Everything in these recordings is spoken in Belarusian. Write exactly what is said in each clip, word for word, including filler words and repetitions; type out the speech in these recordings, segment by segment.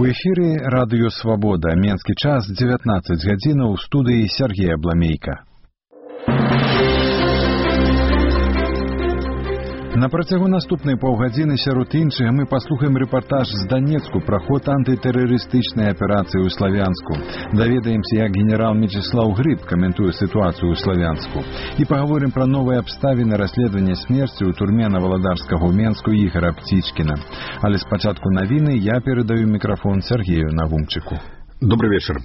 эфіры радыё «Свабода». Менскі час дзевятнаццаць гадзінаў, у студыі Сергей Абламейка. На працягу наступнай паўгадзіны сярод іншага мы паслухаем рэпартаж з Данецку пра ход антытэрарыстычнай аперацыі ў Славянску. Даведаемся, як генерал Мечыслаў Грыб каментуе сітуацыю ў Славянску. І паговорым пра новыя абставіны расследавання смерці ў турме на Валадарскага ў Менску Ігара Пціцкіна. Але спачатку навіны я перадаю мікрафон Сергею Навумчыку. Добрый вечер.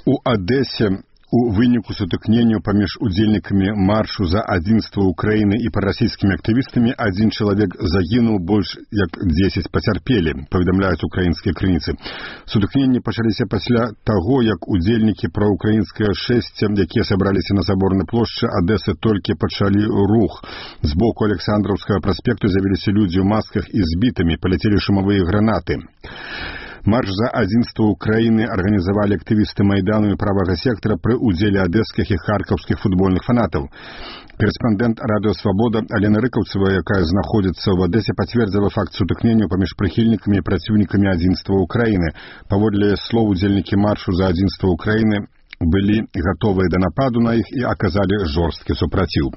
У Одессе у выніку сутыкнення паміж удзельнікамі маршу за адзінства Украіны і парасійскімі актывістамі адзін чалавек загінуў, больш як дзесяць пацярпелі, паведамляюць украінскія крыніцы. Сутыкненні пачаліся пасля таго, як удзельнікі праўкраінскага шэсця, якія сабраліся на Саборнай плошчы Адэсы, толькі пачалі рух. З боку Александраўскага праспекту з'явіліся людзі ў масках і збітымі, паляцелі шумавыя гранаты. Марш за адзінства Украіны арганізавалі актывісты Майдану і правага сектара пры ўдзеле адэскіх і харкаўскіх футбольных фанатаў. Корэспандэнт радыё «Свабода» Алена Рыкаўцева, якая знаходзіцца ў Адэсе, пацвердзіла факт сутыкнення паміж прыхільнікамі і праціўнікамі адзінства Украіны. Паводле слоў, удзельнікі маршу за адзінства Украіны былі гатовыя да нападу на іх і аказалі жорсткі супраціў.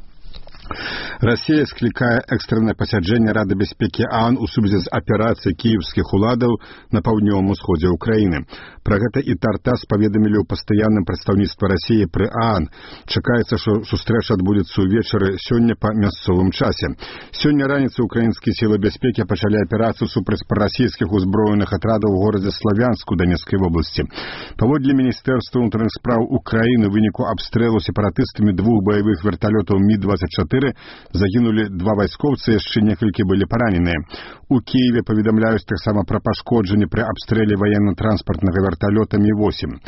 Расія склікае экстраннае пасяджэнне Рады бяспекі ААН у сувязі з аперацыяй кіеўскіх уладаў на паўднёвым усходзе Украіны. Пра гэта і Тартас паведамілі ў пастаянным прадстаўніцтве Расіі пры ААН. Чакаецца, што сустрэча адбудзецца ўвечары сёння па мясцовым часе. Сёння раніцай украінскія сілы бяспекі пачалі аперацыю супраць парасійскіх узброеных атрадаў у горадзе Славянску Данецкай вобласці. Паводле Міністэрства ўнутраных спраў Украіны ў выніку абстрэлу сепаратыстамі двух баявых верталётаў Мі двадцять чатыры загінулі два вайскоўцы, яшчэ некалькі былі параненыя. У Киеве паведамляюць таксама пра пашкоджанні пры абстрэле военно-транспартнага верталёта Мі восемь.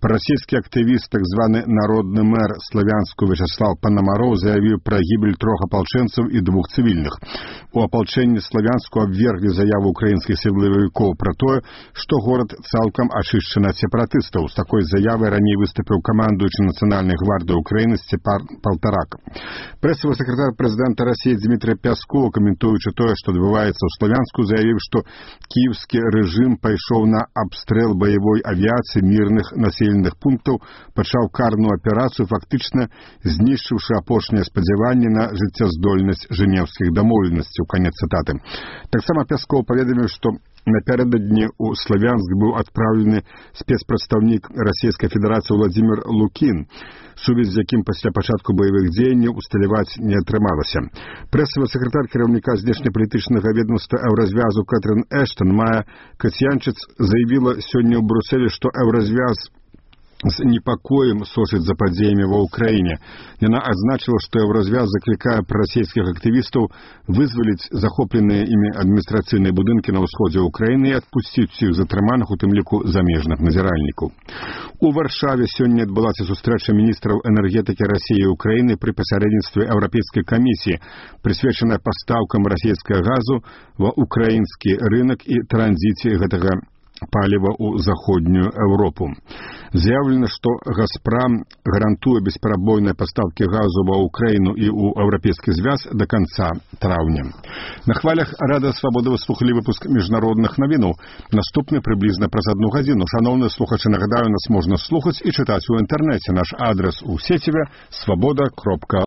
Расійскі актывіст, так званы народны мэр Славянску Вячеслав Панамароў заявіў пра гібель трох апалчэнцаў і двух цывільных. У апалчэнні Славянску абверглі заяву украінскіх сілавікоў пра тое, што горад цалкам ачышчаны ад сепаратыстаў. З такой заявай раней выступіў камандуючы Нацыянальнай гвардыі Украіны Сцепан Палтарак. Прэсавы сакратар прэзідэнта Расіі Дмітрий Пясков, каментуючы тое, што адбываецца ў Славянску, заявіў, што кіеўскі рэжым пайшоў на абстрэл баявой авіяцыі мірных населеных пунктаў, пачаў карную аперацыю, фактычна знішчыўшы апошнія спадзяванні на жыццяздольнасць жэнеўскіх дамоўленасцяў. Канец цытаты. Таксама Пясков паведаміў, што напярэдадні ў Славянск быў адпраўлены спецпрадстаўнік Расійскай Федэрацыі Владзімір Лукін, сувязь з якім пасля пачатку баявых дзеянняў усталяваць не атрымалася. Прэсавы сакратар кіраўніка знешнепалітычнага ведомства Еўразвязу Кэтрын Эштон Мая Кацьянчыц заявіла сёння ў Брюсселі, што Еўразвяз з непакоем сочыць за падзеямі ва ўкраіне. Яна адзначыла, што Еўразвяз заклікае прарасійскіх актывістаў вызваліць захопленыя імі адміністрацыйныя будынкі на ўсходзе Украіны і адпусціць усіх затрыманых, у тым ліку замежных назіральнікаў. У Варшаве сёння адбылася сустрэча міністраў энергетыкі Расіі і Украіны пры пасярэдніцтве Еўрапейскай камісіі, прысвечаная пастаўкам расійскага газу ва ўкраінскі рынак і транзіце гэтага паліва ў заходнюю Еўропу. Заявлена, што «Газпрам» гарантуе бесперабойныя пастаўкі газу ва Украіну і ў Еўрапейскі звяз да канца траўня. На хвалях Радыё Свабода вы слухалі выпуск міжнародных навінаў. Наступны прыблізна праз адну гадзіну. Шаноўныя слухачы, нагадаю, нас можна слухаць і чытаць у інтэрнэце. Наш адрес у сеціве свабода кропка